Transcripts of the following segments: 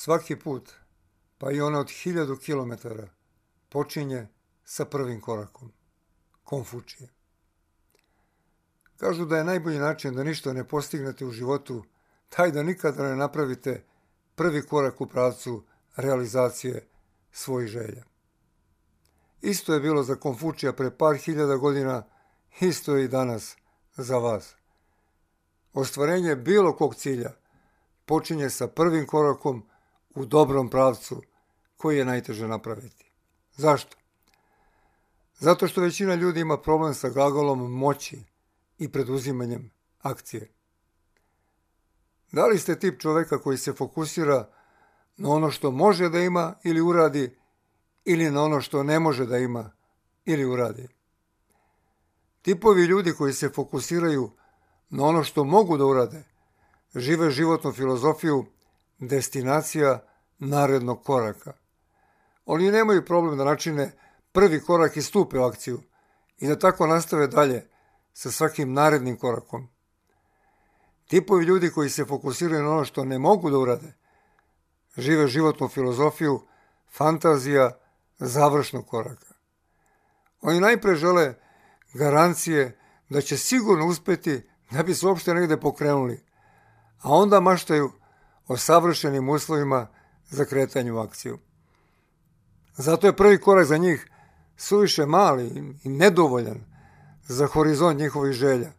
Svaki put, pa i ono od 1000 kilometara, počinje sa prvim korakom. Konfučije. Kažu da je najbolji način da ništa ne postignete u životu taj da nikada ne napravite prvi korak u pravcu realizacije svojih želja. Isto je bilo za Konfučija pre par hiljada godina, isto je i danas za vas. Ostvarenje bilo kog cilja počinje sa prvim korakom u dobrom pravcu koji je najteže napraviti. Zašto? Zato što većina ljudi ima problem sa glagolom moći i preduzimanjem akcije. Da li ste tip čoveka koji se fokusira na ono što može da ima ili uradi ili na ono što ne može da ima ili uradi? Tipovi ljudi koji se fokusiraju na ono što mogu da urade žive životnu filozofiju destinacija narednog koraka. Oni nemaju problem da načine prvi korak i stupe u akciju i da tako nastave dalje sa svakim narednim korakom. Tipovi ljudi koji se fokusiraju na ono što ne mogu da urade žive životnu filozofiju fantazija završnog koraka. Oni najpre žele garancije da će sigurno uspeti da bi se uopšte negde pokrenuli, a onda maštaju o savršenim uslovima za kretanje u akciju. Zato je prvi korak za njih suviše mali i nedovoljan za horizont njihovih želja,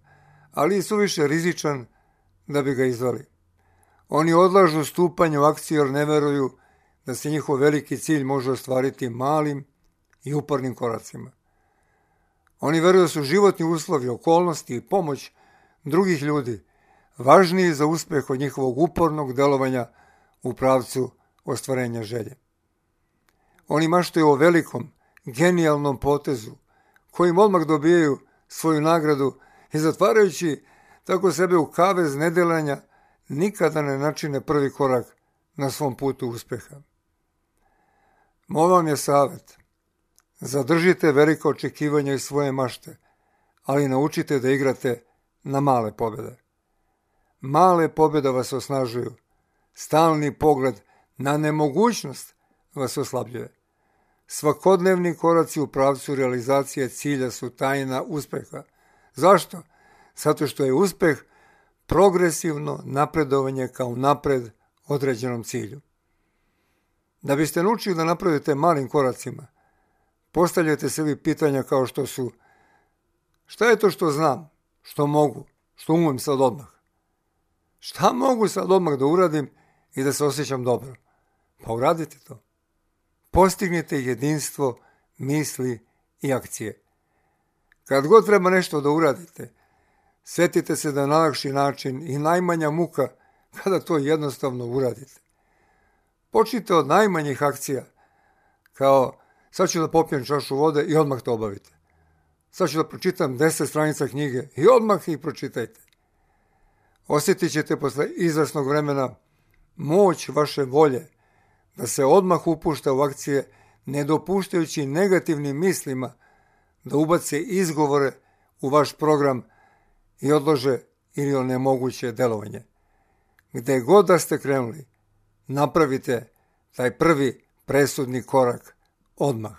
ali i suviše rizičan da bi ga izvali. Oni odlažu stupanje u akciju jer ne veruju da se njihov veliki cilj može ostvariti malim i upornim koracima. Oni veruju da su životni uslovi, okolnosti i pomoć drugih ljudi važniji za uspeh od njihovog upornog delovanja u pravcu ostvarenja želje. Oni maštaju o velikom, genijalnom potezu, kojim odmah dobijaju svoju nagradu i zatvarajući tako sebe u kavez nedelanja, nikada ne načine prvi korak na svom putu uspeha. Moj vam je savjet. Zadržite velika očekivanja i svoje mašte, ali naučite da igrate na male pobjede. Male pobjede vas osnažuju. Stalni pogled na nemogućnost vas oslabljuje. Svakodnevni koraci u pravcu realizacije cilja su tajna uspeha. Zašto? Zato što je uspeh progresivno napredovanje kao napred određenom cilju. Da biste naučili da napravite malim koracima, postavljajte sebi pitanja kao što su: šta je to što znam, što mogu, što umem sad odmah? Šta mogu sad odmah da uradim i da se osjećam dobro? Pa uradite to. Postignite jedinstvo misli i akcije. Kad god treba nešto da uradite, sjetite se da je najlakši način i najmanja muka kada to jednostavno uradite. Počnite od najmanjih akcija, kao sad ću da popijem čašu vode i odmah to obavite. Sad ću da pročitam 10 stranica knjige i odmah ih pročitajte. Osjetit ćete posle izvesnog vremena moć vaše volje da se odmah upušta u akcije, ne dopuštajući negativnim mislima da ubace izgovore u vaš program i odlože ili onemoguće delovanje. Gde god da ste krenuli, napravite taj prvi presudni korak odmah.